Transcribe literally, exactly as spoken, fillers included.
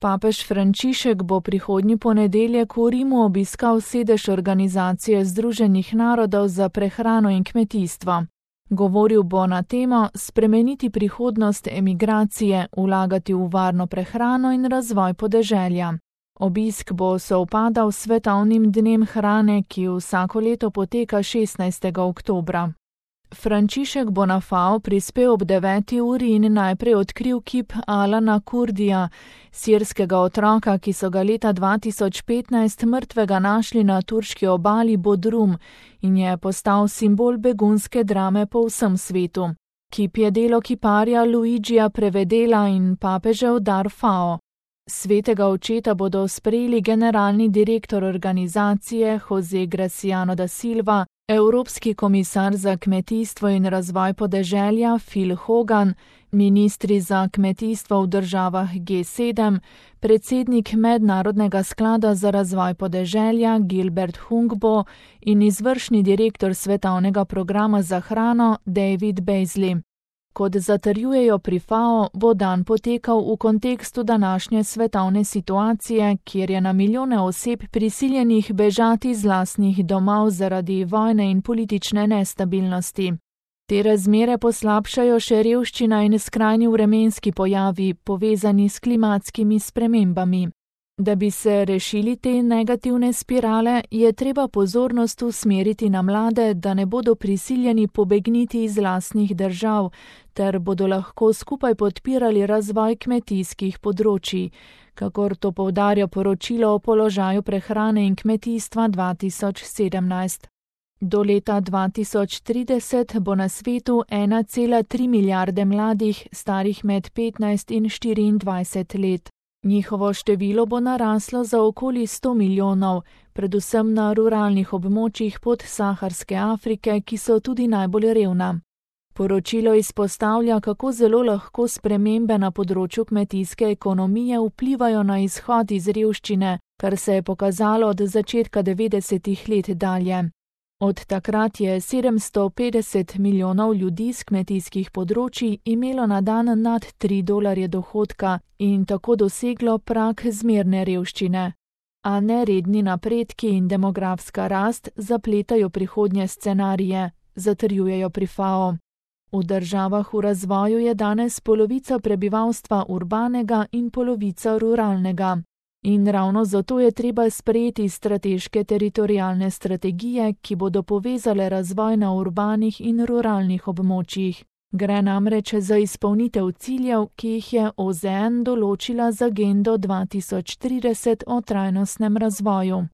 Papež Frančišek bo prihodnji ponedeljek v Rimu obiskal sedež Organizacije združenih narodov za prehrano in kmetijstvo. Govoril bo na temo spremeniti prihodnost emigracije, vlagati v varno prehrano in razvoj podeželja. Obisk bo sovpadal s svetovnim dnem hrane, ki vsako leto poteka šestnajstega oktobra. Frančišek bo na FAO prispel ob deveti uri in najprej odkril kip Alana Kurdija, sirskega otroka, ki so ga leta dva tisoč petnajst mrtvega našli na turški obali Bodrum in je postal simbol begunske drame po vsem svetu. Kip je delo kiparja Luigija Prevedela in papežev dar FAO. Svetega očeta bodo sprejeli generalni direktor organizacije Jose Graciano da Silva, Evropski komisar za kmetijstvo in razvoj podeželja Phil Hogan, ministri za kmetijstvo v državah G sedem, predsednik Mednarodnega sklada za razvoj podeželja Gilbert Hungbo in izvršni direktor svetovnega programa za hrano David Beasley. Kot zatrjujejo pri FAO, bo dan potekal v kontekstu današnje svetovne situacije, kjer je na milijone oseb prisiljenih bežati z lastnih domov zaradi vojne in politične nestabilnosti. Te razmere poslabšajo še revščina in skrajni vremenski pojavi, povezani s klimatskimi spremembami. Da bi se rešili te negativne spirale, je treba pozornost usmeriti na mlade, da ne bodo prisiljeni pobegniti iz lastnih držav, ter bodo lahko skupaj podpirali razvoj kmetijskih področij, kakor to poudarja poročilo o položaju prehrane in kmetijstva dva tisoč sedemnajst. Do leta dva tisoč trideset bo na svetu ena cela tri milijarde mladih, starih med petnajst in štiriindvajset let. Njihovo število bo naraslo za okoli sto milijonov, predvsem na ruralnih območjih podsaharske Afrike, ki so tudi najbolj revna. Poročilo izpostavlja, kako zelo lahko spremembe na področju kmetijske ekonomije vplivajo na izhod iz revščine, kar se je pokazalo od začetka devetdesetih let dalje. Od takrat je sedemsto petdeset milijonov ljudi z kmetijskih področij imelo na dan nad tri dolarje dohodka in tako doseglo prag zmerne revščine. A neredni napredki in demografska rast zapletajo prihodnje scenarije, zatrjujejo pri FAO. V državah v razvoju je danes polovica prebivalstva urbanega in polovica ruralnega. In ravno zato je treba sprejeti strateške teritorialne strategije, ki bodo povezale razvoj na urbanih in ruralnih območjih. Gre namreč za izpolnitev ciljev, ki jih je O Z N določila z agendo dva tisoč trideset o trajnostnem razvoju.